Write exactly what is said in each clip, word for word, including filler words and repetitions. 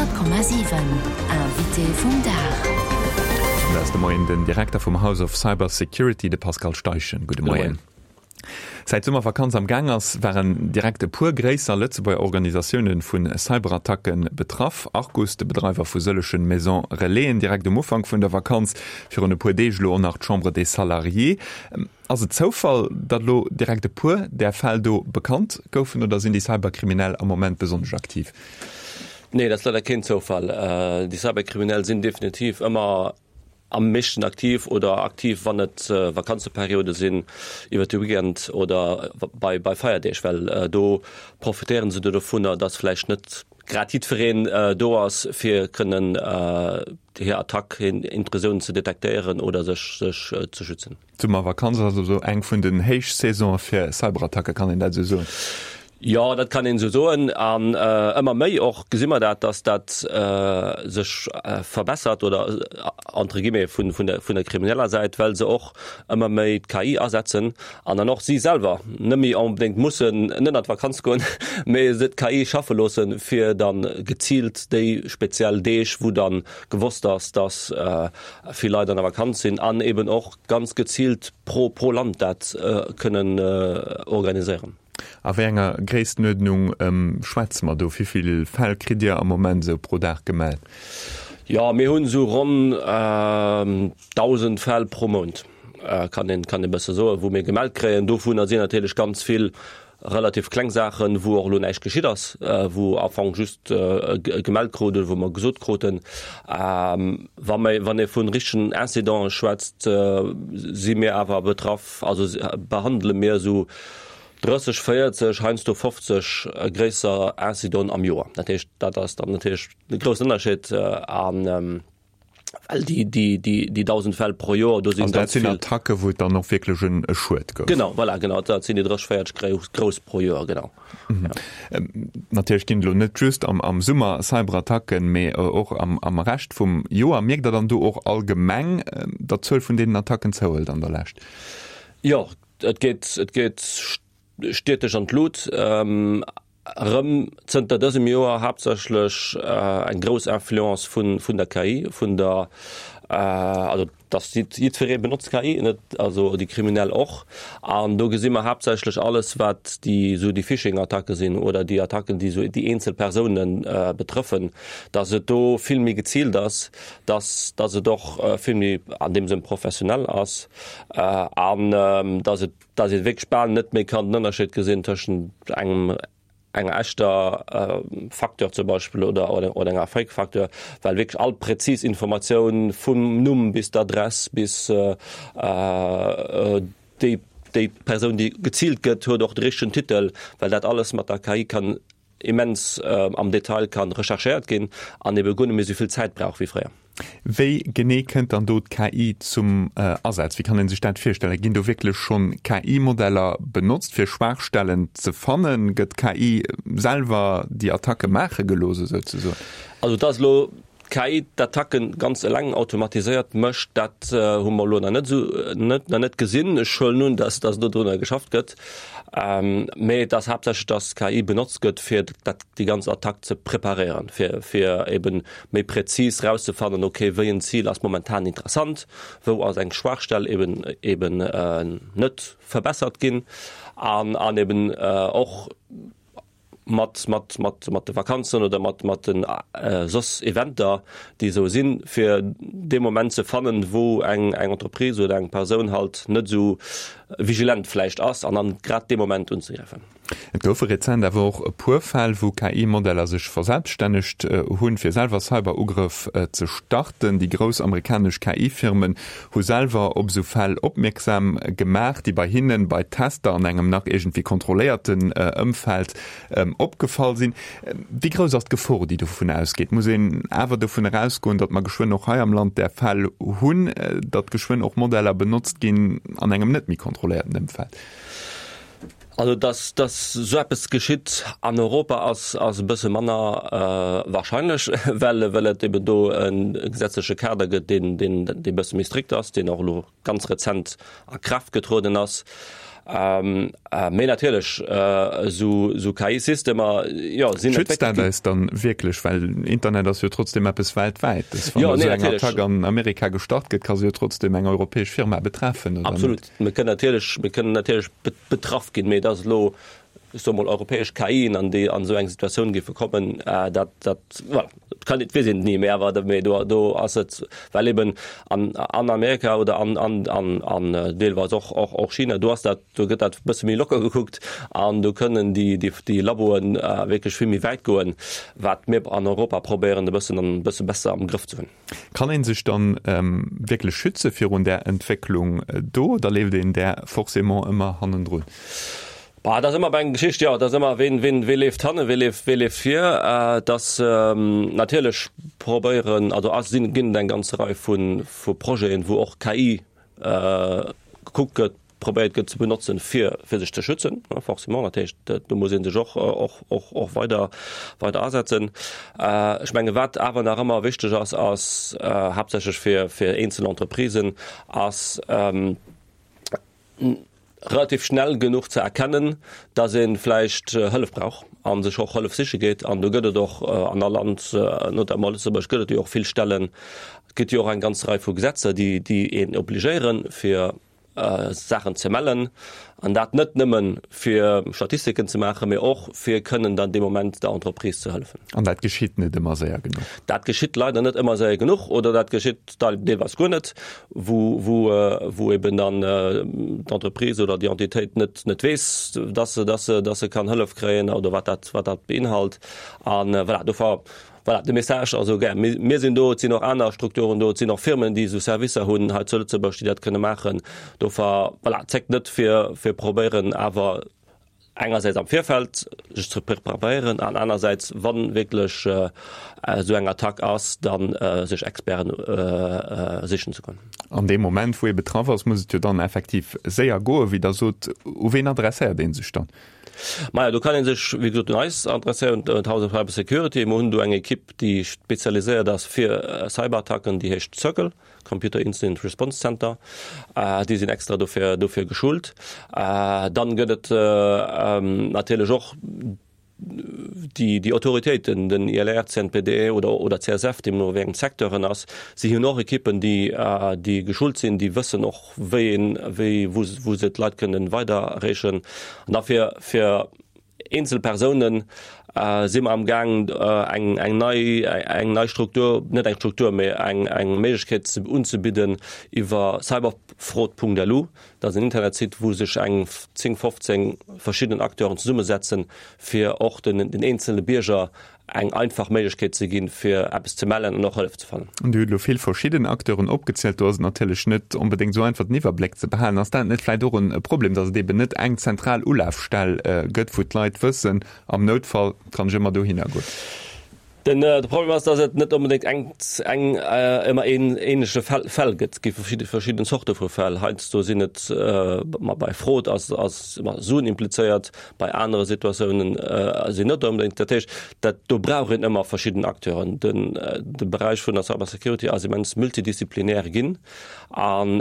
Honnert Komma siwen, Invité vum Dag. Dat ass de Moien den Direkter vum House of Cyber Security, de Pascal Steichen. Gudde Moien. Säit d'Summervakanz am Gaang ass, waren direkt e puer gréisser Lëtzebuerger Organisatioune vu Cyberattacke betraff. Arcus, de Bedreiwer vu sëllege Maison Relaisen, direkt um Ufank vun der Vakanz, virun e puer Deeg elo och nach d'Chambre des Salariés. Ass et Zoufall, datt elo direkt e puer där Fäll do bekannt goufen oder sinn déi Cyberkriminell am Moment besonnesch aktiv? Nee, dat ass leider keen Zoufall. Déi Cyberkriminell sinn definitiv ëmmer am meeschten aktiv oder aktiv, wann et Vakanzeperiode sinn, iwwer de Weekend oder bei, bei Feierdeeg, well do profitéieren se dovunner, datt vläicht net grad jiddwereen do ass, fir kënnen hir Attack, hir Intrusioun ze detektéieren oder sech, sech ze schützen. D'Summervakanz ass also eng vun den Héichsaisone fir Cyberattacke, kann een dat esou soen? Jo, dat kann een esou soen. An ëmmer méi och gesi mer dat, dass dat sech verbessert oder entre guillemets vun, vun der, vun der krimineller Säit, well se och ëmmer méi d'K I asetzen an dann och si selwer net méi onbedéngt mussen net an d'Vakanz goen, mee se d'K I schaffe loossen, fir dann geziilt déi speziell Deeg, wou dann gewosst ass, dass vill Leit an der Vakanz sinn an eben och ganz geziilt pro, pro Land dat kënnen organiséieren. A wéi enger Gréisstenuerdnung schwätze mer do? Wéi vill Fäll kritt Dir am Moment esou pro Dag gemellt? Jo, mir hunn esou ronn dausend Fäll pro Mount, kann een, kann ee bësse soen, wou mir gemellt kréien. Dovunner sinn natierlech ganz vill relativ kleng Saachen, wou och elo näischt geschitt ass, wou am Fong just gemellt krut oder wou mer gesot kruten. Wa mir, wann ee vun richtegen Incidenten schwätzt, si mir awer betraff, also behandele mir esou drësseg, véierzeg, heiansdo fofzeg gréisser Incidenten am Joer. Dat heescht, dat ass dann natierlech e groussen Ënnerscheed an well déi, déi, déi, déi dausend Fäll pro Joer, do sinn An dat ganz sinn vill Attacke, wou et dann och wierklech en e Schued gouf. Genau, voilà, genau, dat sinn déi drësseg, véierzeg grouss, grouss pro Joer, genau. Mhm. Ja. Ähm, natierlech ginn et elo net just am, am Summer Cyberattacken, mee och am, am Rescht vum Joer. Mierkt Der dann do och allgemeng, datt d'Zuel vun deenen Attacken zouhëlt an der Lescht? Jo, et geet, et geet steeteg an d'Lut. Ähm, erëm zënter dësem Joer haaptsächlech eng grouss Influence vun, vun der K I, vun der, also dass jiddweree benotzt K I, net, also déi Kriminell och. An do gesi mer haaptsächlech alles, wat déi esou déi Phishing-Attacke sinn oder déi Attacken, déi esou déi eenzel Persounen betrëffen, dass et do vill méi geziilt ass, dass, dass et och vill méi an deem Sënn professionell ass an dass et, dass ee wierklech bal net méi kann den Ënnerscheed gesinn tëschent engem, enger echter Facture zum Beispill oder, oder, oder enger Fake-Facture, well wierklech all präzis Informatioun vum Numm bis d'Adress bis déi, déi Persoun, déi geziilt gëtt, huet och de richtegen Titel, well dat alles mat der K I kann immens am Detail kann recherchéiert ginn an ebe guer net méi esou vill Zäit brauch wéi fréier. Wéi genee kënnt dann do d'K I zum Asaz? Wéi kann ee sech dat virstellen? Ginn do wierklech schonn K I-Modeller benotzt, fir Schwaachstellen ze fannen? Gëtt d'K I selwer déi Attacke maache gelooss, esouzesoen? Also et ass elo d'K I d'Attacken ganz eleng automatiséiert mécht, dat hu mer elo nach net esou, net, nach net gesinn. Ech huelen un, dass, dass do drunner geschafft gëtt. Mee et ass haaptsächlech, dass d'K I benotzt gëtt, fir dat, déi ganz Attack ze preparéieren, fir, fir eben méi präzis rauszefannen, okay, wéi en Zil ass momentan interessant, wou ass eng Schwaachstell eben, eben net verbessert ginn an, an eben och mat, mat, mat, mat de Vakanzen oder mat, mat den soss Eventer, déi esou sinn, fir dee Moment ze fannen, wou eng, eng Entreprise oder eng Persoun halt net esou vigilent vläicht ass an dann grad dee Moment unzegräifen. Et goufe rezent awer och e puer Fäll, wou K I-Modeller sech verselbststännegt hunn, fir selwer Cyberugrëff ze starten. Déi grouss amerikanesch K I-Firmen hu selwer op esou Fäll opmierksam gemaach, déi bei hinnen bei Tester an engem nach iergendwéi kontrolléierten Ëmfeld opgefall sinn. Wéi grouss ass d'Gefor, déi dovun ausgeet? Muss een awer dovun erausgoen, datt mer geschwënn och hei am Land där Fäll hunn, datt geschwënn och Modeller benotzt ginn an engem net méi kontrolléierten Ëmfeld? Also, dass, dass esou eppes geschitt an Europa ass, ass e bësse manner wahrscheinlech, well, well et eben do e gesetzleche Kader gëtt, deen, deen, dee bësse méi strikt ass, deen och elo ganz rezent a Kraaft getrueden ass. Mee natierlech esou K I-Systemer, jo, sinn. Schützt dat eis dann wierklech? Well Internet ass jo trotzdem eppes weltwäites. Wann esou eng Attack an Amerika gestart gëtt, ka se jo trotzdem eng europäesch Firma betreffen, oder net? Absolut. Mir kënnen natierlech, mir kënnen natierlech betraff ginn, mee et ass elo, ech soe mol, europäesch K Ien an déi an esou eng Situatioun géife kommen, dat, dat, voilà, kann, et weess een et ni, mee awer, mee do, do ass et, well eben an, an Amerika oder an, an, an, an deelweis och, och, och China, do ass dat, do gëtt dat e bësse méi locker gekuckt an do kënnen déi, déi, déi Laboen wierklech vill méi wäit goen, wat mir an Europa probéieren e bëssen, e bësse besser am Grëff ze hunn. Kann ee sech dann wierklech schütze virun där Entwécklung do oder leeft een där forcément ëmmer hannendrun? Bah, dat ass ëmmer eng Geschicht, jo, dat ass ëmmer, ween, ween, wee leeft hannen, wee leeft, wee leeft vir. Et ass natierlech probéieren, also ass, sinn, ginn et eng ganz Rei vu, vu Projeten, wou och K I gekuckt gëtt, probéiert gëtt ze benotzen, fir, fir sech ze schützen, forcément. Dat heescht, do muss ee sech och, och, och, och weider, weider asetzen. Ech menge wat awer nach ëmmer wichteg ass, ass haaptsächlech fir, fir eenzel Entreprisen, ass, relativ schnell genuch ze erkennen, dass ee vläicht Hëllef brauch a sech och Hëllef siche geet. An do gëtt et och an all Land, notamment Lëtzebuerg, gëtt et jo och vill Stellen, et gëtt jo och eng ganz Rei vu Gesetzer, déi déi een obligéieren, fir Saachen ze mellen. An dat net nëmmen, fir Statistiken ze maachen, mee och fir kënnen dann dee Moment der Entreprise ze hëllefen. An dat geschitt net ëmmer séier genuch? Dat geschitt leider net ëmmer séier genuch oder dat geschitt deelweis guer net, wou, wou, wou eben dann d'Entreprise oder déi Entitéit net, net weess, dass se, dass se, dass se kann Hëllef kréien oder wat dat, wat dat beinhalt. An voilà, dofir, voilà, de Message, also gär, mir, mir sinn do, et sinn och aner Strukturen do, et sinn och Firmen, déi esou Servicer hunn hei zu Lëtzebuerg, déi dat kënne maachen. Dofir, voilà, zéckt net fir, fir probéieren awer engersäits am Virfeld sech ze preparéieren an anersäits, wann wierklech esou eng Attack ass, dann sech Experten sichen ze goen. An deem Moment, wou ee betraff ass, muss et jo dann effektiv séier goen, wéi Der sot. U ween adresséiert ee sech dann? Maja, do kann ee sech, wéi gesot, un eis adresséieren, un d'House of Cyber Security. Mir hunn do eng Ekipp, déi spezialiséiert ass fir Cyberattacken, déi heescht CIRCL. Computer Incident Response Center, déi sinn extra dofir, dofir geschult. Dann gëtt et natierlech och déi, déi Autoritéiten, den I L R, C N P D oder, oder C S F, deemno wéi engem Secteur en ass. Si hunn och Ekippen, déi, déi geschult sinn, déi wëssen och, wéi een, wéi, wou, wou se d'Leit kënnen weider erreechen. An da fir, fir eenzel Persounen si mer am Gaang eng eng nei eng nei Struktur, net eng Struktur, mee eng eng Méiglechkeet ze unzebidden iwwer cyberfraud Punkt L U. Dat ass en Internetsite, wou sech eng zéng, fofzéng verschidden Acteuren zesummesetzen, fir och den den eenzele Bierger eng einfach Méiglechkeet ze ginn, fir eppes ze mellen an och Hëllef ze fannen. Dir hutt elo vill verschidden Acteuren opgezielt. Do ass et natierlech net onbedéngt esou einfach, den Iwwerbléck ze behalen. Ass dat net vläicht och e Problem, datt et eben net eng zentral Ulafstell gëtt, wou d'Leit wëssen, am Noutfall kann ech ëmmer dohinner goen? Den de Problem ass, datt et net onbedéngt eng eng ëmmer een ähnleche Fäll Fäll gëtt. Et gi verschidde verschidden Zorte vu Fäll. Heiansdo sinn et ma bei Fraude ass ass ëmmer Suen implizéiert, bei anere Situatiounen sinn net onbedéngt. Dat heescht, dat do brauch een ëmmer verschidden Acteuren. Den de Beräich vun der Cybersecurity ass immens multidisziplinär ginn an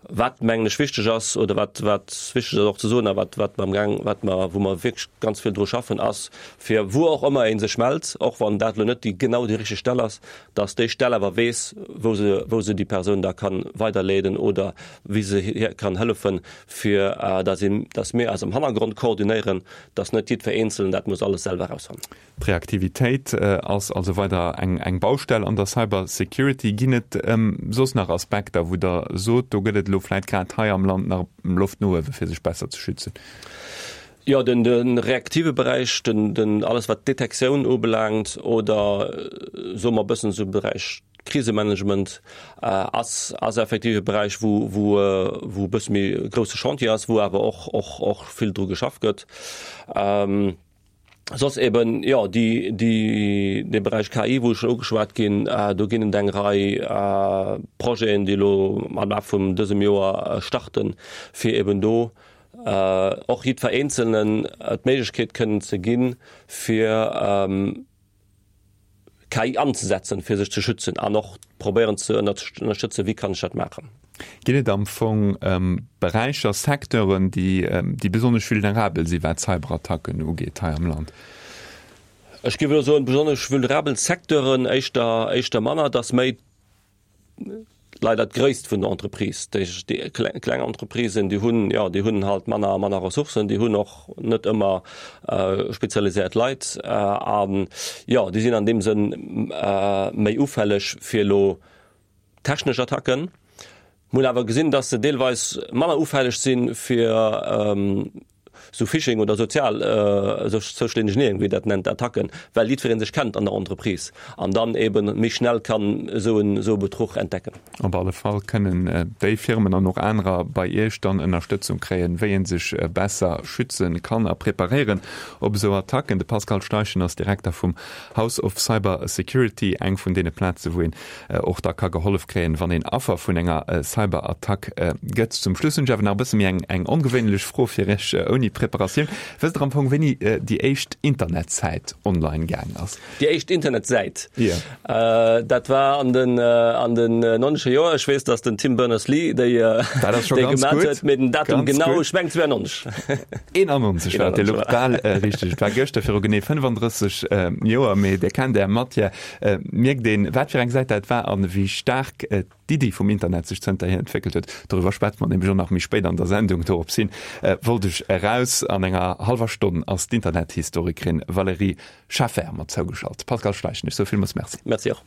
wat mengen ech wichteg ass oder wat wat wichteg ass och ze soen a wat wat mer amgaang wat mer wou mer wierklech ganz vill dru schaffen ass, fir wou och ëmmer ee sech mellt, och wann dat elo net déi genau déi richteg Stell ass, datt déi Stell awer weess, wou se wou se déi Persoun da kann weiderleeden oder wéi se hir kann hëllefen, fir datt een datt mir eis am Hannergrond koordinéieren, datt net jiddwer Eenzelen dat muss alles selwer erausfannen. D'Reaktivitéit ass also weider eng eng Baustell an der Cybersecurity. Ginn et soss nach Aspekter, wou Der sot, do gëtt et elo vläicht grad hei am Land nach Loft no uewe fir sech besser ze schützen? Jo, den de reaktive Beräich, den den alles wat d'Detektioun ubelaangt oder soe mer e bëssen esou Beräich Krisemanagement ass ass effektiv e Beräich, wou wou wou e bësse méi grousse Chantier ass, wou awer och och och vill dru geschafft gëtt. Soss eben, jo, déi, déi, dee Beräich K I, wou ech ugeschwat ginn, do ginn et eng Rei Projeten, déi elo am Laf vun dësem Joer starten, fir eben do och jiddwer Eenzelnen d'Méiglechkeet kënnen ze ginn, fir K I anzesetzen, fir sech ze schützen an och probéieren ze ënnerstëtzen, wéi kann ech dat maachen. Ginn et am Fong Beräicher, Secteuren, déi déi besonnesch vulnerabel si wat Cyberattacken ugeet hei am Land? Ech géif elo soen, besonnesch vulnerabel Secteuren éischter éischter manner. Et ass méi leider d'Gréisst vun der Entreprise. Déi déi kleng Entreprisen, déi hunn, jo, déi hunn halt manner manner Ressourcen, déi hunn och net ëmmer spezialiséiert Leit an, jo, déi sinn an deem Sënn méi ufälleg fir elo technesch Attacken. Mir hunn awer gesinn, dass se deelweis manner ufälleg si fir esou Phishing oder sozial, Social Engineering, wéi een dat nennt, Attacken, well jiddweree sech kennt an der Entreprise an dann eebe méi schnell kann esou en esou e Betruch entdecken. Op alle Fall kënnen déi Firmen an och anerer bei Iech dann Ënnerstëtzung kréien, wéi ee sech besser schütze kann a preparéieren op esou Attacken. De Pascal Steichen ass Direkter vum House of Cyber Security, eng vun deene Plaze wou een och da ka gehollef kréien, wann een Affer vun enger Cyberattack gëtt. Zum Schluss hunn ech awer nach e bësse méi eng eng ongewéinlech Fro fir Iech, ouni Preparatioun. Wësst Der am Fong, wéini déi éischt Internetsäit online gaang ass? Déi éischt Internetsäit? Jo. Dat war an den an den nonnescher Joer. Ech weess, datt den Tim Berners-Lee déi déi gemat huet, mee den Datum genau, ech mengen zweiundneunzeg. eenannonzeg war et, Dir loucht bal richteg. Et war gëschter viru genee fënnefandrësseg Joer, mee Dir kennt Är Matière. Mierkt een, wat fir eng Säit dat war an wéi staark d'Iddi vum Internet sech zënterhier entwéckelt huet. Doriwwer schwätze mer nämlech och nach méi spéit an der Sendung. Dorops hin wollt ech eraus. An enger hallwer Stonn ass d'Internethistorikerin Valérie Schaeffer mat zougeschalt. Pascal Steichen, ech soe villmools Merci. Merci och.